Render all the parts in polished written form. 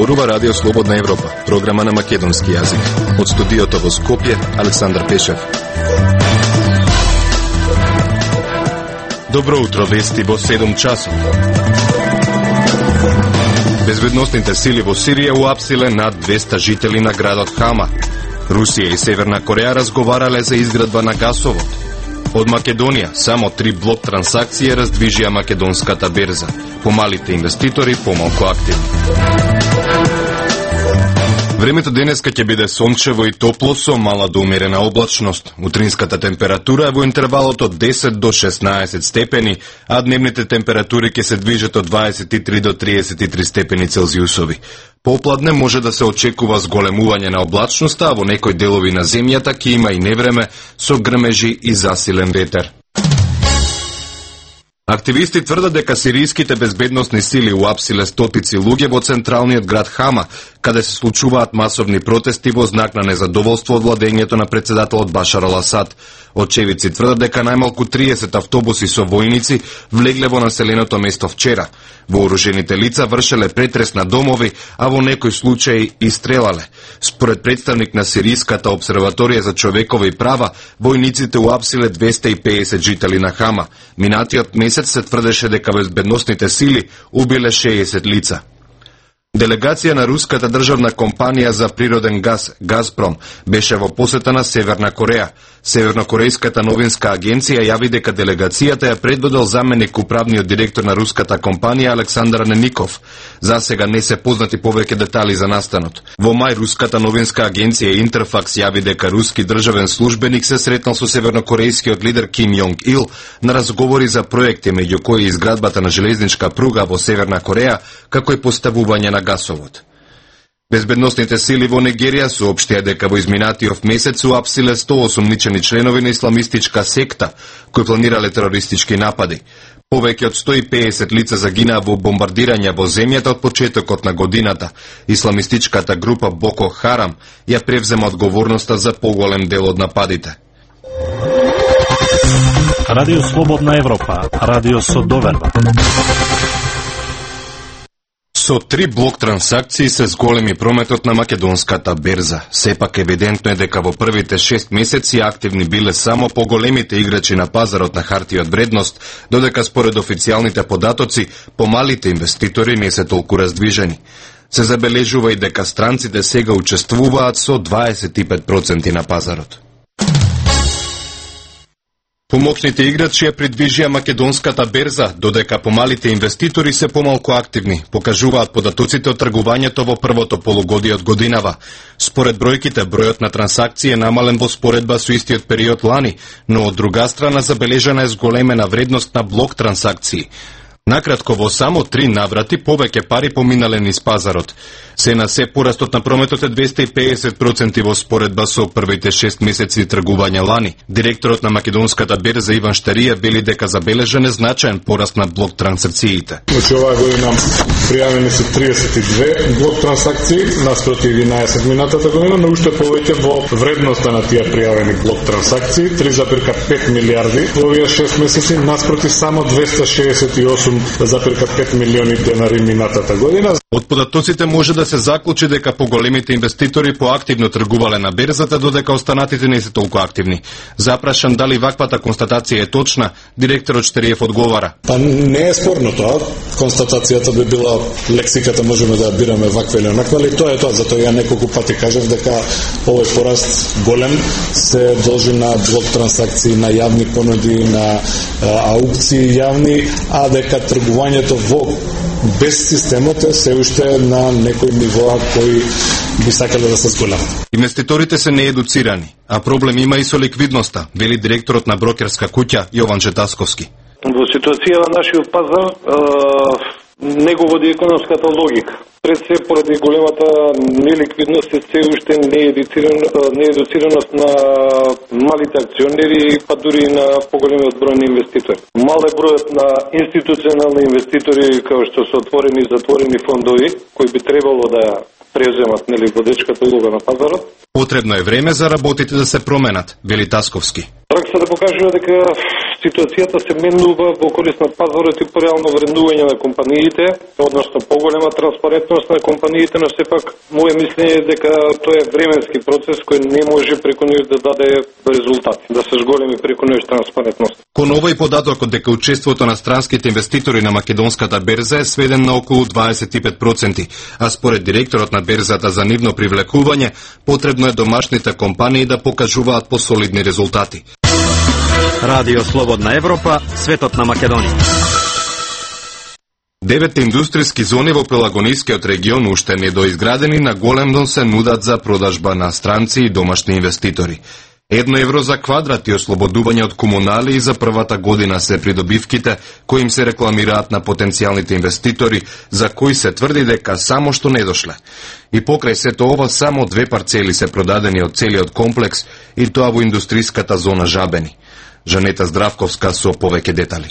зборува Радио Слободна Европа, програма на македонски јазик. Од студиото во Скопје, Александар Пешев. Добро утро, вести во 7 часот. Безбедносните сили во Сирија уапсиле над 200 жители на градот Хама. Русија и Северна Кореја разговарале за изградба на гасовод. Од Македонија само 3 блок трансакции раздвижија македонската берза. Помалите инвеститори помалку активни. Времето денеска ќе биде сончево и топло со мала до умерена облачност. Утринската температура е во интервалот од 10 до 16 степени, а дневните температури ќе се движат од 23 до 33 степени Целзиусови. Попладне може да се очекува зголемување на облачноста, а во некои делови на земјата ќе има и невреме со грмежи и засилен ветер. Активисти тврдат дека сиријските безбедносни сили уапсиле стотици луѓе во централниот град Хама, каде се случуваат масовни протести во знак на незадоволство од владењето на председателот Башар ал-Асад. Очевидци тврдат дека најмалку 30 автобуси со војници влегле во населеното место вчера. Вооружените лица вршеле претрес на домови, а во некои случаи и стрелале. Според представник на Сиријската обсерваторија за човекови права, војниците уапсиле 250 жители на Хама. Минатиот месец се тврдеше дека безбедносните сили убиле 60 лица. Делегација на руската државна компанија за природен газ, Газпром, беше во посета на Северна Кореја. Севернокорејската новинска агенција јави дека делегацијата ја предводел заменик управниот директор на руската компанија Александар Неников. За сега не се познати повеќе детали за настанот. Во мај руската новинска агенција Интерфакс јави дека руски државен службеник се сретнал со севернокорејскиот лидер Ким Јонг Ил на разговори за проекти, меѓу кои изградбата на железничка пруга во Северна Кореја, како и поставување на гасовод. Безбедносните сили во Нигерија соопштија дека во изминатиот месец уапсиле 100 осумничени членови на исламистичка секта кои планирале терористички напади. Повеќе од 150 лица загинаа во бомбардирања во земјата од почетокот на годината. Исламистичката група Боко Харам ја превзема одговорноста за поголем дел од нападите. Радио Слободна Европа, радио со доверба. Со 3 блок трансакции се зголеми прометот на македонската берза. Сепак евидентно е дека во првите 6 месеци активни биле само поголемите играчи на пазарот на хартија од вредност, додека според официјалните податоци, помалите инвеститори не се толку раздвижени. Се забележува и дека странците сега учествуваат со 25% на пазарот. Помоцните играчи ја придвижија македонската берза, додека помалите инвеститори се помалку активни, покажуваат податоците од тргувањето во првото полугодие од годинава. Според бројките, бројот на трансакции е намален во споредба со истиот период лани, но од друга страна забележана е зголемена вредност на блок трансакции. Накратко, во само 3 наврати повеќе пари поминале низ пазарот. Се на се порастот на прометот е 250% во споредба со првите 6 месеци тргување лани. Директорот на македонската берза Иван Штарија вели дека забележен е значаен пораст на блок трансакциите. Значи оваа година пријавени се 32 блок трансакции наспроти 11 минатата година, но уште повеќе во вредноста на тие пријавени блок трансакции 3,5 милиарди во овие 6 месеци наспроти само 268,5 милиони денари минатата година. Од податоците може да се заклучи дека поголемите инвеститори поактивно тргувале на берзата, додека останатите не се толку активни. Запрашан дали ваквата констатација е точна, директорот Штариев одговара. Па не е спорно тоа. Констатацијата би била лексиката можеме да ја бираме ваква или онаква, ali тоа е тоа. Затоа ја неколку пати кажав дека овој пораст голем се должи на блок трансакции, на јавни понуди, на аукции јавни, а дека тргувањето во без системот се уште на некои нивоа кои би сакале да се зголемат. Инвеститорите се неедуцирани, а проблем има и со ликвидноста, вели директорот на брокерска куќа Јован Четасковски. Во ситуација на нашиот пазар не го води економската логика. Пред се поради големата неликвидност и се уште неедуцираност на малите акционери, па дури на поголемиот број на инвеститори. Мал е бројот на институционални инвеститори како што се отворени и затворени фондови, кои би требало да преземат водечката улога на пазарот. Потребно е време за работите да се променат, вели Тасковски. Пракса да покажува дека ситуацијата се менува во корист на пазарот и пореално вреднување на компаниите, односно поголема транспарентност на компаниите, но сепак моје мислење е дека тоа е временски процес кој не може преку ноќ да даде резултати, да се зголеми преку ноќ транспарентност. Кон овој податокот дека учеството на странските инвеститори на македонската берза е сведен на околу 25%, а според директорот на берзата за нивно привлекување, потребно е домашните компании да покажуваат посолидни резултати. Радио Слободна Европа, светот на Македонија. 9 индустријски зони во Пелагонискиот регион уште недоизградени на големно се нудат за продажба на странци и домашни инвеститори. €1 за квадрат и ослободување од комунали и за првата година се придобивките кои им се рекламираат на потенцијалните инвеститори, за кои се тврди дека само што не дошле. И покрај сето ова само 2 парцели се продадени од целиот комплекс и тоа во индустријската зона Жабени. Жанета Здравковска со повеќе детали.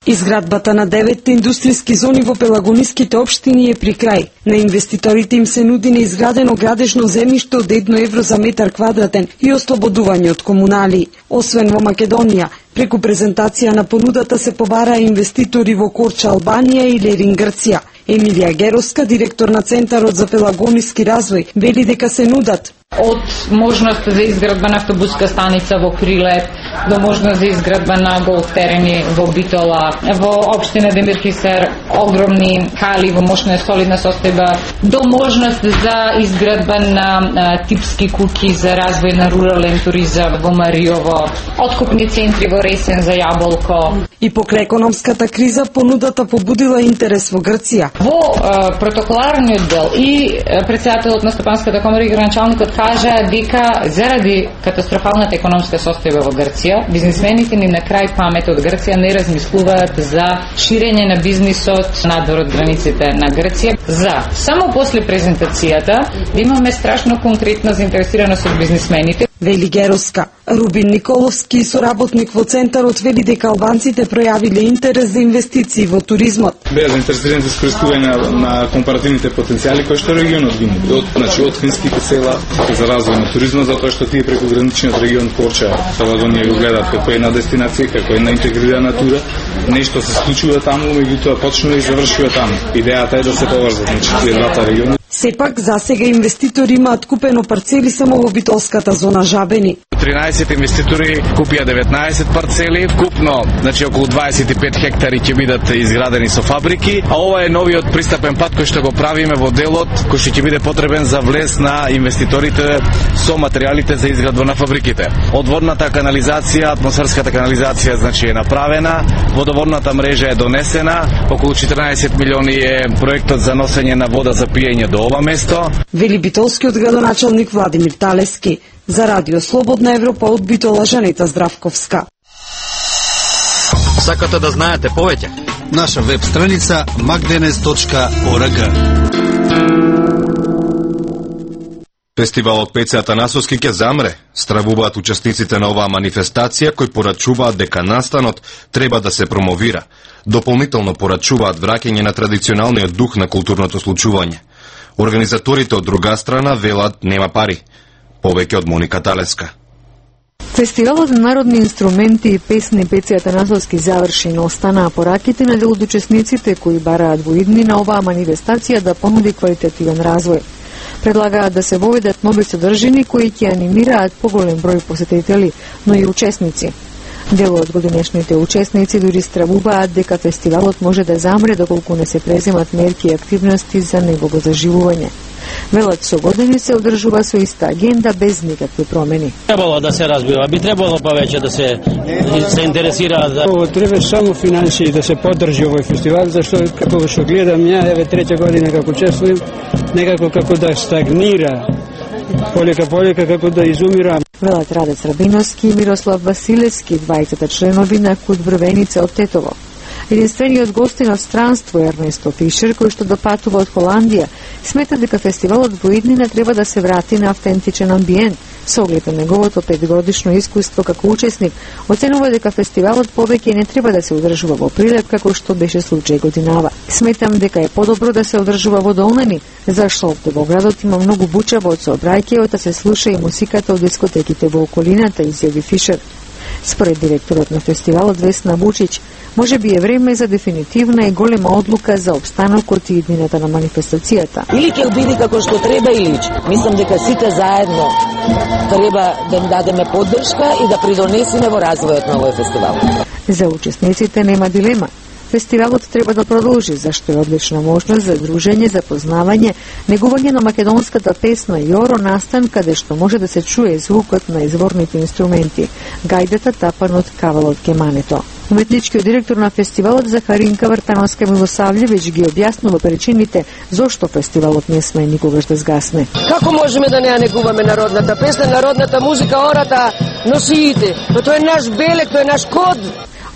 Изградбата на 9 индустријски зони во пелагониските општини е при крај. На инвеститорите им се нуди неизградено градежно земјиште од €1 за метар квадратен и ослободување од комунали. Освен во Македонија, преку презентација на понудата се побараа инвеститори во Корча, Албанија и Лерин, Грција. Емилија Геровска, директор на Центарот за пелагониски развој, вели дека се нудат од можност за изградба на автобуска станица во Крилеп, до можност за изградба на голф терени во Битола, во општина Демирхисар огромни хали во мощна солидна состојба, до можност за изградба на типски куќи за развој на рурален туризам во Мариово, откупни центри во Ресен за јаболко. И покрај економската криза понудата побудила интерес во Грција. Во протоколарниот дел и претседателот на Стопанската комора и граначалникот кажа дека заради катастрофалната економска состојба во Грција, бизнисмените ни на крај памет од Грција не размислуваат за ширење на бизнисот надвор од границите на Грција. За само после презентацијата да имаме страшно конкретна заинтересираност од бизнисмените. Вели Геровска. Рубин Николовски, соработник во Центарот, вели дека албанците пројавиле интерес за инвестиции во туризмот. Беа заинтересирани за искористување на компаративните потенцијали кои што регионот ги нуди. Од финските села за развој на туризмот, затоа што тие преку граничниот регион Корча, Пелагонија го гледаат како една дестинација, како една интегрирана тура. Нешто се случува таму, меѓутоа почнува и завршува таму. Идејата е да се поврзат тие двата региони. Сепак, засега инвеститори имаат купено парцели само во битолската зона Жабени. 13 инвеститори купија 19 парцели, купно, значи околу 25 хектари ќе бидат изградени со фабрики, а ова е новиот пристапен пат кој што го правиме во делот, кој што ќе биде потребен за влез на инвеститорите со материјалите за изградба на фабриките. Одводната канализација, атмосферската канализација значи е направена, водоводната мрежа е донесена, околу 14 милиони е проектот за носење на вода за пиење до ова место. Вели битолскиот градоначалник Владимир Талески. За Радио Слободна Европа од Битола, Жанета Здравковска. Сакате да знаете повеќе? Наша веб страница magdenes.org. Фестивалот Пеце Атанасовски ќе замре. Стравуваат учесниците на оваа манифестација кои порачуваат дека настанот треба да се промовира. Дополнително порачуваат враќање на традиционалниот дух на културното случување. Организаторите од друга страна велат нема пари. Повеќе од Моника Талеска. Фестивалот на народни инструменти и песни Пеце Атанасовски заврши, но останаа пораките на дел од учесниците кои бараат во идни на оваа манифестација да понуди квалитативен развој. Предлагаат да се воведат нови содржини кои ќе анимираат поголем број посетители, но и учесници. Дел од годинешните учесници дури стравуваат дека фестивалот може да замре доколку не се преземат мерки и активности за негово заживување. Велат со години се одржува со иста агенда без никакви промени. Требало да се разбива, би требало повеќе да се интересираат. Ово треба само финансии да се поддржи овој фестивал, зашто како што гледам ја, еве трета година како учествувам, некако како да стагнира, полека како да изумира. Велат Радец Рабиновски и Мирослав Василевски, двајцата членови на Кут Брвеница од Тетово. Единствениот гостин од странство Ернесто Фишер, кој што допатува од Холандија, смета дека фестивалот во иднина треба да се врати на автентичен амбиент. Со оглед на неговото 5-годишно искуство како учесник, оценува дека фестивалот повеќе не треба да се одржува во Прилеп како што беше случај годинава. Сметам дека е подобро да се одржува во Долнани, зашто овде во градот има многу бучава од сообраќајот, а се слуша и музиката од дискотеките во околината, изјави Фишер. Според директорот на фестивалот Весна Вучиќ, може би е време за дефинитивна и голема одлука за обстанокот и иднината на манифестацијата. Или ќе биде како што треба или мислам дека сите заедно треба да им дадеме поддршка и да придонесеме во развојот на овој фестивал. За учесниците нема дилема. Фестивалот треба да продолжи, зашто е одлична можност за дружење, запознавање, негување на македонската песна Јоро, настан каде што може да се чуе звукот на изворните инструменти, гајдата тапан од кавалот кемането. Уметничкиот директор на фестивалот Захаринка Вартановска Милосављевиќ ги објаснува причините зошто фестивалот не сме никогаш да згасне. Како можеме да не ја негуваме народната песна, народната музика, ората, носиите? Тоа е наш белег, тоа е наш код.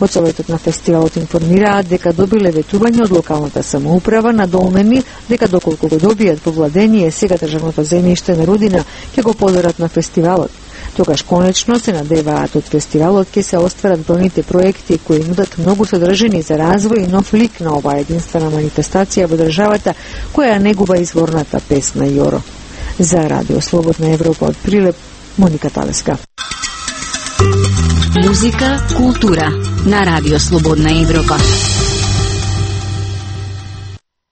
Од Советот на фестивалот информираат дека добиле ветување од локалната самоуправа, надолнени дека доколку го добијат по владение сега државното земјиште на Рудина, ќе го подарат на фестивалот. Тогаш конечно се надеваат од фестивалот ќе се остварат бројните проекти кои нудат многу содржини за развој и нов лик на оваа единствена манифестација во државата која негува изворната песна Јоро. За Радио Слободна Европа од Прилеп, Моника Талеска. Музика, култура на Радио Слободна Европа.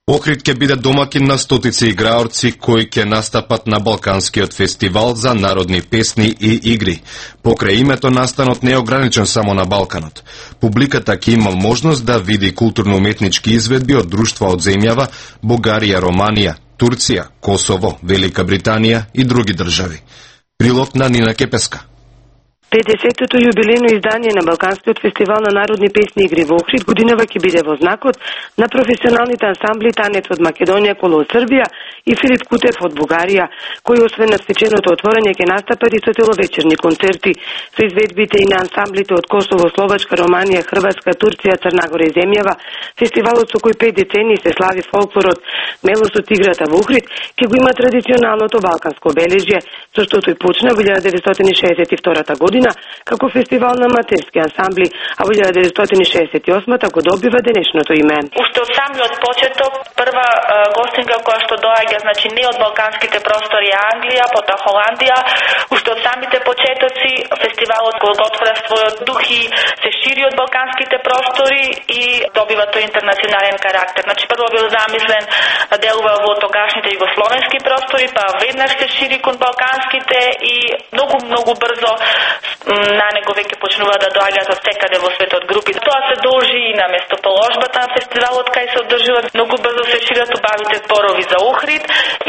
Охрид ќе биде домакин на стотици играорци кои ќе настапат на Балканскиот фестивал за народни песни и игри. Покрај името настанот не е ограничен само на Балканот. Публиката ќе има можност да види културно-уметнички изведби од друштва од земјава Бугарија, Романија, Турција, Косово, Велика Британија и други држави. Прилог на Нина Кепеска. 50-тото јубилејно издание на Балканскиот фестивал на народни песни и игри во Охрид годинава ќе биде во знакот на професионалните ансамбли Танец од Македонија, Коло од Србија и Филип Кутев од Бугарија, кои освен на свеченото отворање ќе настапат и со целовечерни концерти со изведбите и на ансамблите од Косово, Словачка, Романија, Хрватска, Турција, Црна Гора и земјава. Фестивалот со кој 5 децении се слави фолклорот, мелосот играта во Охрид, ќе го има традиционалното балканско обележје, со што тој почна во 1962 година како фестивал на аматерски ансамбли, а во 1968 го добива денешното име. Уште од самиот почеток, прва гостинка која што доаѓа, значи не од балканските простори Англија, потоа Холандија, уште од самите почетоци фестивалот го отвора својот дух и се шири од балканските простори и добива тој интернационален карактер. Значи прво бил замислен да делува во тогашните југословенски простори, па веднаш се шири кон балканските и многу брзо на него веќе почнува да доаѓаат од секаде во светот групи. Тоа се должи и на местоположбата на фестивалот, кај се одржува многу брзо се шират убавите зборови за Охрид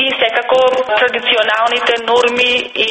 и секако традиционалните норми и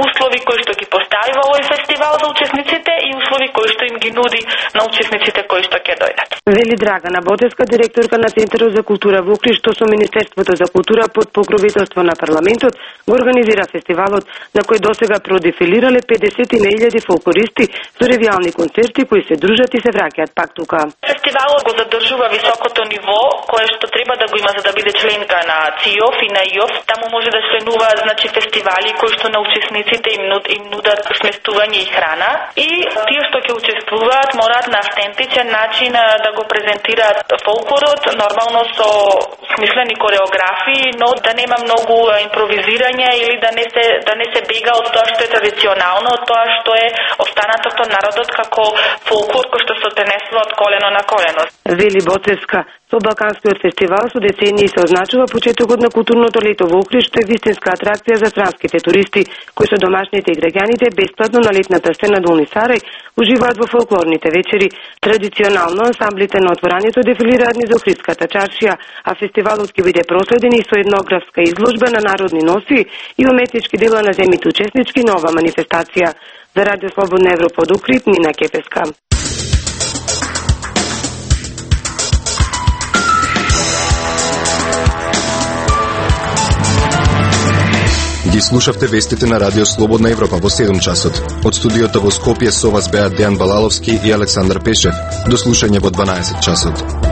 услови кои што ги поставива овој фестивал за учесниците и услови кои што им ги нуди на учесниците кои што ќе дојдат. Вели Драгана Ботевска, директорка на Центарот за култура во Охрид, што со Министерството за култура под покровителство на парламентот го организира фестивалот, на кој досега продефилирале 50.000 фолклористи со ревијални концерти кои се дружат и се враќаат пак тука. Фестивалот го задржува високото ниво кое што треба да го има за да биде членка на ЦИОФ и на ИОФ. Таму може да членуваат значи фестивали кои што на учесниците им нудат сместување и храна и тие што ќе учествуваат мораат на автентичен начин да го презентираат фолклорот, нормално со смислени кореографии, но да нема многу импровизирање или да не се бега од тоа што е традиционално, од тоа што е останатото од народот како фолклор кој што се пренесува од колено на колено. Вели Боцевска, со Балканскиот фестивал со децении се означува почетокот на културното лето во Охрид, што е вистинска атракција за странските туристи, кои со домашните и граѓаните бесплатно на летната сцена Долни Сарај уживаат во фолклорните вечери. Традиционално ансамблите на отворањето дефилираат низ Охридската чаршија, а фестивалот ќе биде проследен и со етнографска изложба на народни носи и уметнички дела на земјите учеснички на оваа манифестација. За Радио Слободна Европа од Охрид, Нина Кепеска. Ги слушавте вестите на Радио Слободна Европа во 7 часот. Од студиото во Скопје со вас беа Дејан Балаловски и Александар Пешев. До слушање во 12 часот.